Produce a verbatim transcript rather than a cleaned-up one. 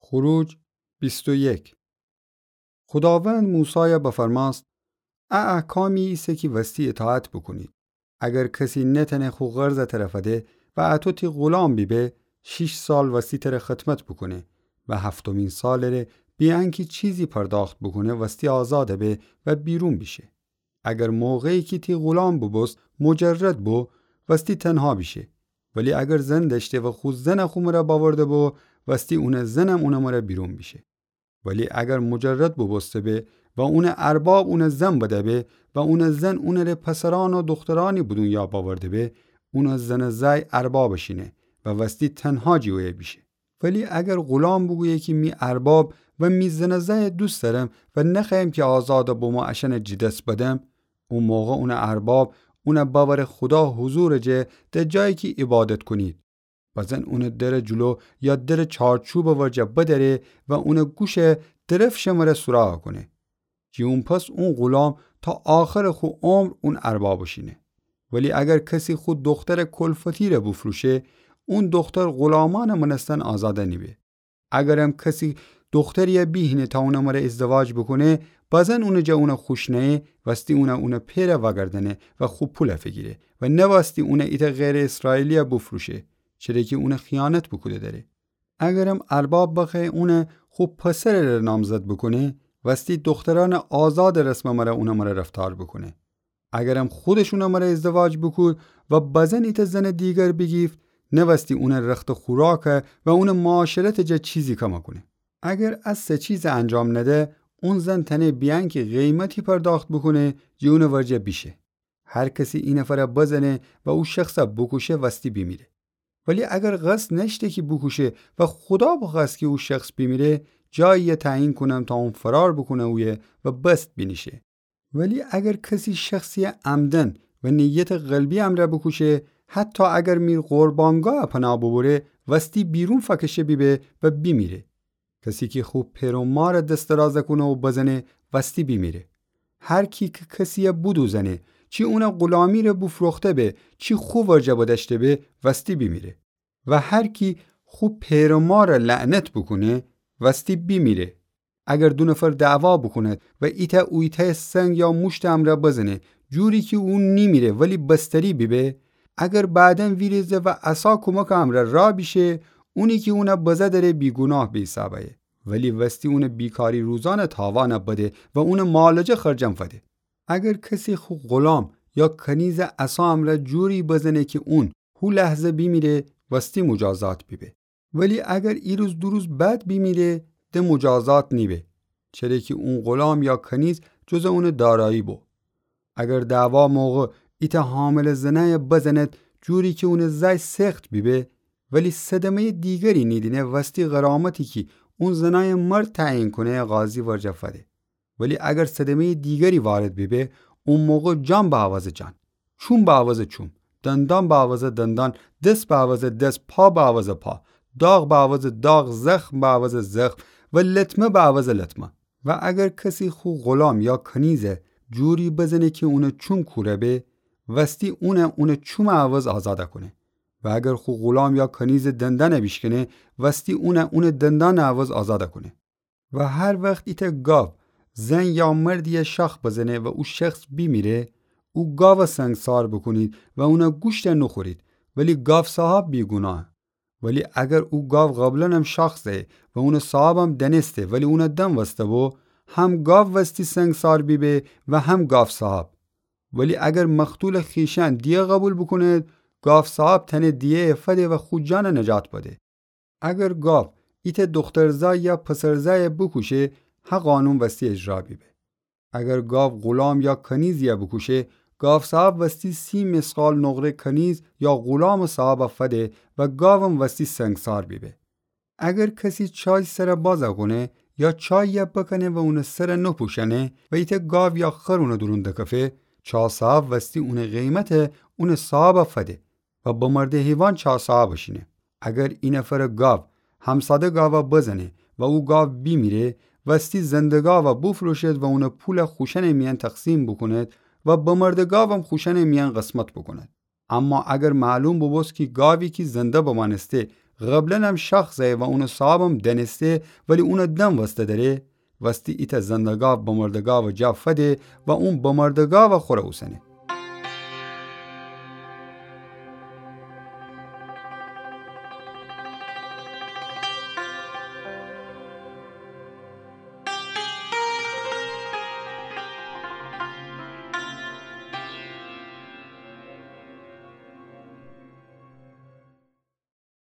خروج بیست و یک. خوداوند موسایَ بفرماست: ا احکامی ایسه کی وستی اطاعت بوکونید. اگر کسی نتأنه خو قرضَ تره فده و اَتو تی غلام بیبه، شیش سال وستی تره خدمت بوکونه و هفتمین سالٚ ره بی انکی چیزی پرداخت بوکونه وستی آزادَ به و بیرون بیشه. اگر موقعی کی تی غلام بوبوست مجرد بو، وستی تنها بیشه. ولی اگر زن دأشته و خو زنَ خو مره باورده بو، وستی اونٚ زنم اونٚ مره بیرون بیشه. ولی اگر مجرد بوبوسته به و اونٚ ارباب اونَ زن بده به و اونٚ زن اونٚ ره پسرأن و دوخترأنی به دونیا باورده به، اونٚ زنٚ زأی اربابٚ شینه و وستی تنها جی اویه بیشه. ولی اگر غلام بوگویه کی می ارباب و می زنٚ زأیَ دوست دأرم و نخوأیم کی آزادَ بمو اشأنَ جی دس بدم، او موقع اونٚ ارباب اونَ بأوره خودا حضورٚ جه، ده جایی کی عبادت کونید. بزن اونٚ درٚ جلو یا درٚ چارچوبٚ ورجه بدأره و اونٚ گوشَ درفشٚ مره سوراخ کونه. جی اون پس اون غلام تا آخرٚ خو عمر اون اربابٚ شینه. ولی اگر کسی خو دوخترٚ کلفتی ره بوفروشه، اون دوختر غلامأنٚ مأنستن آزادَ نیبه. اگرم کسی دوختریَ بیهینه تا اونٚ مره ازدواج بوکونه، بزن اونٚ جا اونَ خوش نأیه، وستی اونَ اونٚ پئرَ وأگردأنه و خو پولَ فیگیره و نوستی اونَ ایتأ غیرٚ اسرائیلیَ بوفروشه، چره کی اونَ خیانت بوکوده دأره. اگرم ارباب بخوأیه اونَ خو پسرٚ ره نامزد بوکونه، وستی دوخترأنٚ آزادٚ رسمٚ مره اونٚ مره رفتار بوکونه. اگرم خودش اونٚ مره ازدواج بوکود و بزن ایتأ زنٚ دیگر بیگیفت، نوستی اونٚ رختٚ خوراکَ و اونٚ معاشرتٚ جا چیزی کم کونه. اگر ا سه چیزَ انجام نده، اون زن تأنه بی انکی قیمتی پرداخت بوکونه، جی اونٚ ورجه بیشه. هر کسی اینفرَ بزنه و او شخصَ بوکوشه، وستی بیمیره. ولی اگر قصد نأشته کی بوکوشه و خودا بخوأست کی او شخص بیمیره، جاییَ تعیین کونم تا اون فرار بوکونه اویه و بست بینیشه. ولی اگر کسی شخصیَ عمداً و نیتٚ قلبی امرأ بوکوشه، حتی اگر میر قربانگاهٚ پناه بوبوره، وستی بیرون فأکشه بیبه و بیمیره. کسی کی خو پئر و مارَ دس درازَ کونه و بزنه، وستی بیمیره. هر کی کی کسیَ بودوزنه، چی اونَ غلامی ره بوفروخته به، چی خو ورجه بدأشته به، وستی بیمیره. و هر کی خو پئر و مارَ لعنت بوکونه، وستی بیمیره. اگر دو نفر دعوا بوکوند و ایتأ اویتأیَ سنگ یا موشتٚ امرأ بزنه، جوری کی او نیمیره ولی بستری بیبه، اگر بعداً ویریزه و عصا کمکٚ امرأ راه بیشه، اونی کی اونَ بزه دأره بیگوناه به حساب ایه. ولی وستی اونٚ بیکاری روزأنٚ تاوانَ بده و اونٚ مالٚ جا خرجم فده. اگر کسی خو غلام یا کنیزَ عصا امرأ جوری بزنه کی اون هو لحظه بیمیره، وستی مجازات بیبه. ولی اگر ای روز دو روز بعد بیمیره، ده مجازات نیبه، چره کی اون غلام یا کنیز جزٚ اونٚ دارایی بو. اگر دعوا موقع ایتأ حامله زنأیَ بزند، جوری کی اونٚ زأی سخت بیبه، ولی صدمه‌یٚ دیگری نیدینه، وستی غرامتی کی اون زنأیٚ مرد تعیین کونه، قاضی ورجه فده. ولی اگر صدمه‌یٚ دیگری وارد بیبه، او موقع جان به عوضٚ جان، چوم به عوضٚ چوم، دندان به عوضٚ دندان، دس به عوضٚ دس، پا به عوضٚ پا، داغ به عوضٚ داغ، زخم به عوضٚ زخم و لطمه به عوضٚ لطمه. و اگر کسی خو غلام یا کنیزَ جوری بزنه کی اونٚ چوم کوره به، وستی اونَ اونٚ چومٚ عوض آزادَ کونه. و اگر خو غلام یا کنیزٚ دندانَ بیشکنه، وستی اونَ اونٚ دندانٚ عوض آزادَ کونه. و هر وخت ایتأ گاو زن یا مردیَ شاخ بزنه و او شخص بیمیره، او گاوَ سنگسار بوکونید و اونٚ گوشتَ نوخورید، ولی گاوصاحب بیگوناهه. ولی اگر او گاو قبلاً هم شاخ زأیه و اونٚ صاحبم دأنسته ولی اونَ دنوسته بو، هم گاو وستی سنگسار بیبه و هم گاوصاحب. ولی اگر مقتولٚ خویشأن دیه قبول بوکوند، گاوصاحب تأنه دیه‌یَ فده و خو جانَ نجات بده. اگر گاو ایتأ دوخترزأی یا پسرزأیَ بوکوشه، هه قانون وستی اجرا بیبه. اگر گاو غلام یا کنیزیَ بوکوشه، گاوصاحب وستی سی مثقال نقره کنیز یا غلامٚ صاحبَ فده و گاوم وستی سنگسار بیبه. اگر کسی چای سرَ بازَ کونه یا چاییَ بکنه و اونٚ سرَ نپوشأنه و ایتأ گاو یا خر اونٚ دورون دکفه، چاصاحب وستی اونٚ قیمتَ اونٚ صاحبَ فده و بمرده حیوان چاصاحبٚ شینه. اگر اینفرٚ گاو همساده گاوَ بزنه و او گاو بیمیره، وستی زنده گاوَ بوفروشد و اونٚ پولَ خوشأنٚ میأن تقسیم بوکوند و بمرده گاوم خوشأنٚ میأن قسمت بوکوند. اما اگر معلوم بوبوست کی گاوی کی زنده بمأنسته قبلاً هم شاخ زأیه و اونٚ صاحبم دأنسته، ولی اونٚ دم وسته دأره، وستی ایتأ زندگاو بمردگاوٚ جا فده و اون بمردگاو خوره اوسنه.